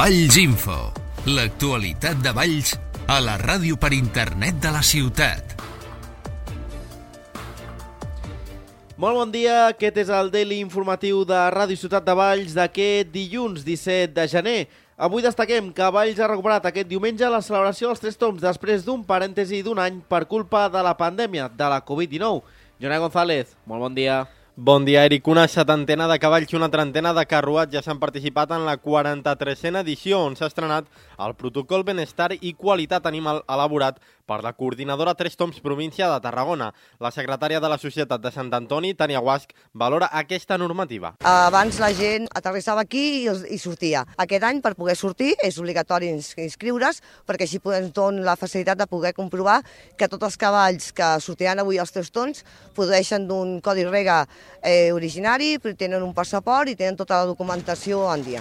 Valls Info, l'actualitat de Valls a la ràdio per internet de la ciutat. Molt bon dia, aquest és el Daily informatiu de Ràdio Ciutat de Valls d'aquest dilluns 17 de gener. Avui destaquem que Valls ha recuperat aquest diumenge la celebració dels 3 tombs després d'un parèntesi d'un any per culpa de la pandèmia de la Covid-19. Jonai González, molt bon dia. Bon dia, Eric. Una setantena de cavalls i una trentena de carruatges han participat en la 43a edició, on s'ha estrenat el protocol Benestar i Qualitat Animal elaborat per la coordinadora 3 Tombs província de Tarragona. La secretària de la Societat de Sant Antoni, Tània Guasch, valora aquesta normativa. Abans la gent aterrissava aquí i sortia. Aquest any, per poder sortir, és obligatori inscriure's, perquè així ens dona la facilitat de poder comprovar que tots els cavalls que sortiran avui als 3 tons produeixen d'un codi rega originari, tenen un passaport i tenen tota la documentació en dia.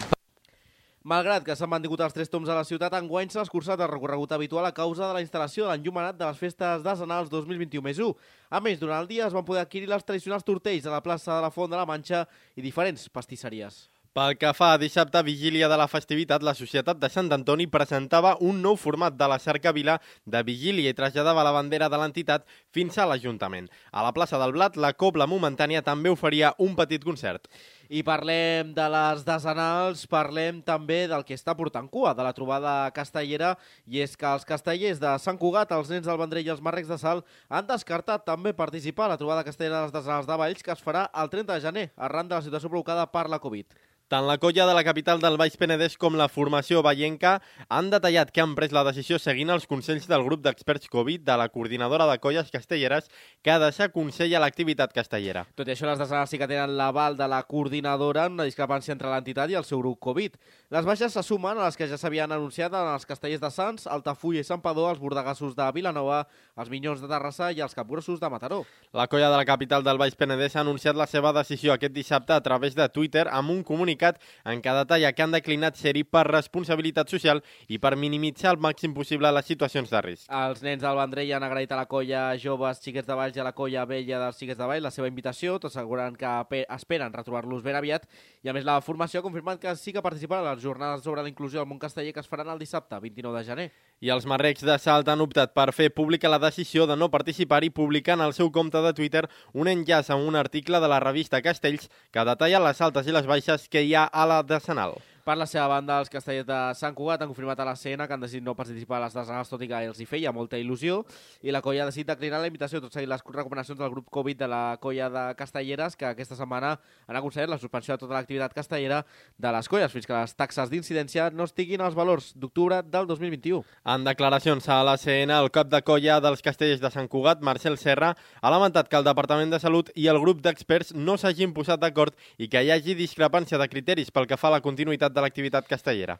Malgrat que s'han mantingut els 3 tombs a la ciutat, enguany s'ha escurçat el recorregut habitual a causa de la instal·lació de l'enllumenat de les festes decenals 2021+1. A més, durant el dia es van poder adquirir les tradicionals tortells a la plaça de la Font de la Manxa i diferents pastisseries. Pel que fa a dissabte, vigília de la festivitat, la Societat de Sant Antoni presentava un nou format de la cercavila de vigília i traslladava la bandera de l'entitat fins a l'Ajuntament. A la plaça del Blat, la Cobla Momentània també oferia un petit concert. I parlem de les decenals, parlem també del que està portant cua, de la trobada castellera, i és que els castellers de Sant Cugat, els nens del Vendrell i els marrecs de Salt han descartat també participar a la trobada castellera de les decenals de Valls, que es farà el 30 de gener, arran de la situació provocada per la Covid. Tant la colla de la capital del Baix Penedès com la formació vallenca han detallat que han pres la decisió seguint els consells del grup d'experts Covid de la coordinadora de colles castelleres que desaconsella l'activitat castellera. Tot i això, les decenals sí que tenen l'aval de la coordinadora en una discrepància entre l'entitat i el seu grup Covid. Les baixes se sumen a les que ja s'havien anunciat en els castellers de Sants, Altafulla i Santpedor, els bordegassos de Vilanova, els Minyons de Terrassa i els capgrossos de Mataró. La colla de la capital del Baix Penedès ha anunciat la seva decisió aquest dissabte a través de Twitter amb un comunicat en què detalla que han declinat ser-hi per responsabilitat social i per minimitzar al màxim possible les situacions de risc. Els nens del Vendrell han agraït a la colla Joves Xiquets de Valls i a la colla Vella dels Xiquets de Valls la seva invitació, tot assegurant que esperen retrobar-los ben aviat, i a més la formació ha confirmat que sí que participarà a les jornades sobre la inclusió al món casteller que es faran el dissabte, 29 de gener. I els marrecs de Salt han optat per fer pública la decisió de no participar i publicant al seu compte de Twitter un enllaç a un article de la revista Castells que detalla les altes i les baixes que hi ha a la decenal. Per la seva banda, els castellers de Sant Cugat han confirmat a la CN que han decidit no participar a les decenals, tot i que els hi feia molta il·lusió, i la colla ha decidit declinar la invitació, tot seguint les recomanacions del grup Covid de la colla de castelleres, que aquesta setmana han aconsellat la suspensió de tota l'activitat castellera de les colles, fins que les taxes d'incidència no estiguin als valors d'octubre del 2021. En declaracions a la CN, el cap de colla dels castellers de Sant Cugat, Marcel Serra, ha lamentat que el Departament de Salut i el grup d'experts no s'hagin posat d'acord i que hi hagi discrepància de criteris pel que fa a la continuïtat de l'activitat castellera.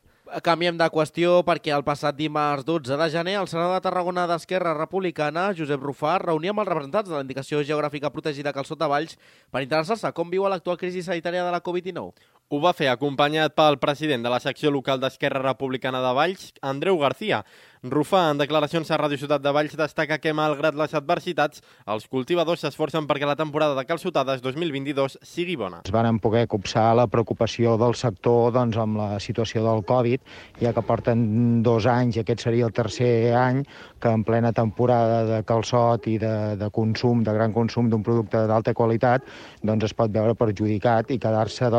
Canviem de qüestió perquè el passat dimarts 12 de gener el senador de Tarragona d'Esquerra Republicana, Josep Rufà, reunia amb els representants de la Indicació Geogràfica Protegida Calçot de Valls per interessar-se com viu l'actual crisi sanitària de la Covid-19. Ho va fer acompanyat pel president de la secció local d'Esquerra Republicana de Valls, Andreu García. Rufà, en declaracions a Ràdio Ciutat de Valls, destaca que, malgrat les adversitats, els cultivadors s'esforcen perquè la temporada de calçotades 2022 sigui bona. Es van poder copsar la preocupació del sector amb la situació del Covid, ja que porten 2 anys, i aquest seria el tercer any, que en plena temporada de calçot i de consum, de gran consum d'un producte d'alta qualitat, es pot veure perjudicat i quedar-se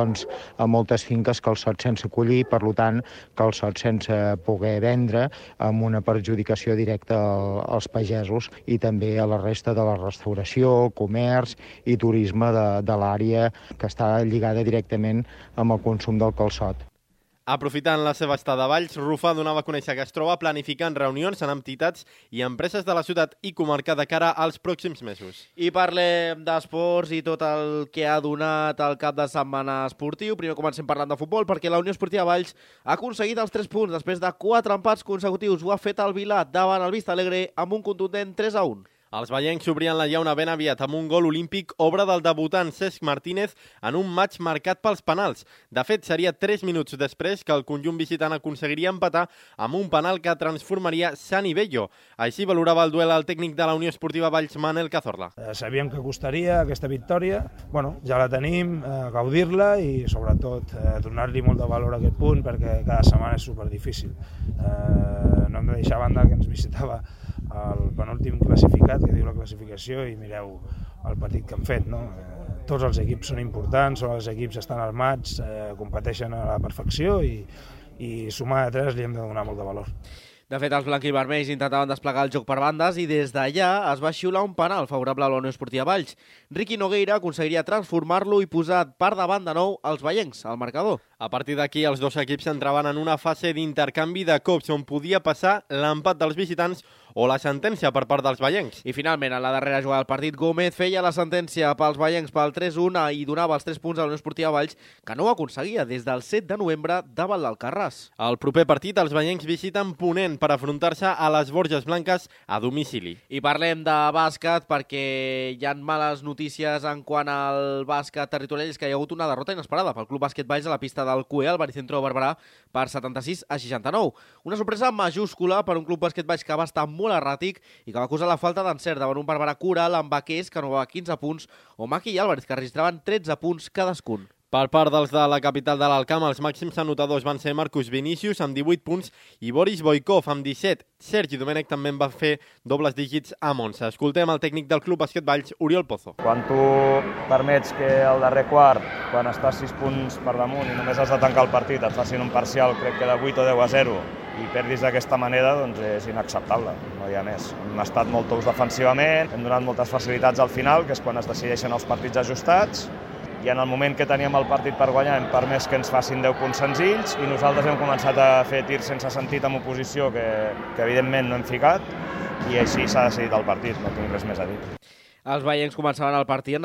a moltes finques calçot sense collir, per tant, calçot sense poder vendre, amb una perjudicació directa als pagesos i també a la resta de la restauració, comerç i turisme de l'àrea que està lligada directament amb el consum del calçot. Aprofitant la seva estada a Valls, Rufà donava a conèixer que es troba planificant reunions amb entitats i empreses de la ciutat i comarca de cara als pròxims mesos. I parlem d'esports i tot el que ha donat el cap de setmana esportiu. Primer comencem parlant de futbol, perquè la Unió Esportiva Valls ha aconseguit els 3 punts després de 4 empats consecutius. Ho ha fet el Vilar davant el Vista Alegre amb un contundent 3-1. Els vallencs s'obrien la llauna ben aviat amb un gol olímpic, obra del debutant Cesc Martínez en un matx marcat pels penals. De fet, seria 3 minuts després que el conjunt visitant aconseguiria empatar amb un penal que transformaria Sani Bello. Així valorava el duel el tècnic de la Unió Esportiva Valls, Manel Cazorla. Sabíem que costaria aquesta victòria, ja la tenim, gaudir-la i sobretot donar-li molt de valor a aquest punt perquè cada setmana és superdifícil. No hem de deixar a banda que ens visitava el penúltim classificat, que diu la classificació, i mireu el partit que han fet. Tots els equips són importants, els equips estan armats, competeixen a la perfecció i sumar de 3 li hem de donar molt de valor. De fet, els blanquivermells intentaven desplegar el joc per bandes i des d'allà es va xiular un penal favorable a la Unió Esportiva Valls. Riqui Nogueira aconseguiria transformar-lo i posar per davant de nou els vallencs al marcador. A partir d'aquí, els dos equips entraven en una fase d'intercanvi de cops on podia passar l'empat dels visitants o la sentència per part dels vallencs. I finalment, en la darrera jugada del partit, Gómez feia la sentència pels vallencs pel 3-1 i donava els 3 punts a la Unió Esportiva Valls, que no ho aconseguia des del 7 de novembre davant l'Alcarràs. Al proper partit, els vallencs visiten Ponent per afrontar-se a les Borges Blanques a domicili. I parlem de bàsquet perquè hi ha males notícies en quant al bàsquet territorial, és que hi ha hagut una derrota inesperada pel Club Bàsquet Valls a la pista del CUE, al Baricentro de Barberà, per 76-69. Una sorpresa majúscula per un Club Bàsquet Valls que va estar molt erràtic i que va acusar la falta d'encert davant un Barberà Coral amb Vaquers, que anova 15 punts, o Maki i Álvarez, que registraven 13 punts cadascun. Per part dels de la capital de l'Alcamp, els màxims anotadors van ser Marcus Vinícius amb 18 punts i Boris Boikov amb 17. Sergi Domènech també en va fer dobles dígits a Monza. Escoltem el tècnic del Club Bàsquet Valls, Oriol Pozo. Quan tu permets que al darrer quart, quan estàs 6 punts per damunt i només has de tancar el partit, et facin un parcial, crec que de 8 o 10-0, i perdis d'aquesta manera, doncs és inacceptable, no hi ha més. Hem estat molt tous defensivament, hem donat moltes facilitats al final, que és quan es decideixen els partits ajustats, i en el moment que teníem el partit per guanyar hem permès que ens facin 10 punts senzills i nosaltres hem començat a fer tirs sense sentit amb oposició que evidentment no hem ficat i així s'ha decidit el partit, no tinc res més a dir. Els vallencs començaven el partit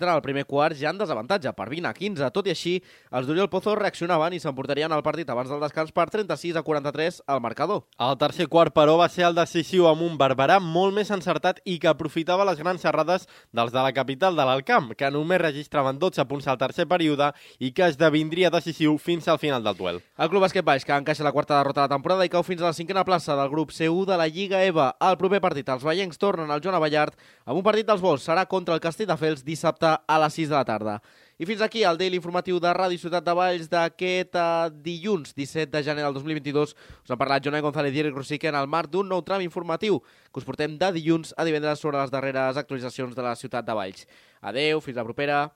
en el primer quart ja en desavantatge, per 20-15. Tot i així, els d'Oriol Pozo reaccionaven i s'emportarien el partit abans del descans per 36-43 al marcador. El tercer quart, però, va ser el decisiu amb un Barberà molt més encertat i que aprofitava les grans errades dels de la capital de l'Alcamp, que només registraven 12 punts al tercer període i que esdevindria decisiu fins al final del duel. El Club Bàsquet Valls, que encaixa la quarta derrota de la temporada i cau fins a la 5a plaça del grup C1 de la Lliga EVA. Al proper partit, els vallencs tornen al Joan Abellart amb un partit dels Vols. Serà contra el Castelldefels dissabte a les 6 de la tarda. I fins aquí el daily informatiu de Ràdio Ciutat de Valls d'aquest dilluns 17 de gener del 2022. Us han parlat Jonai González i Eric Rosique en el marc d'un nou tram informatiu que us portem de dilluns a divendres sobre les darreres actualitzacions de la Ciutat de Valls. Adeu, fins la propera.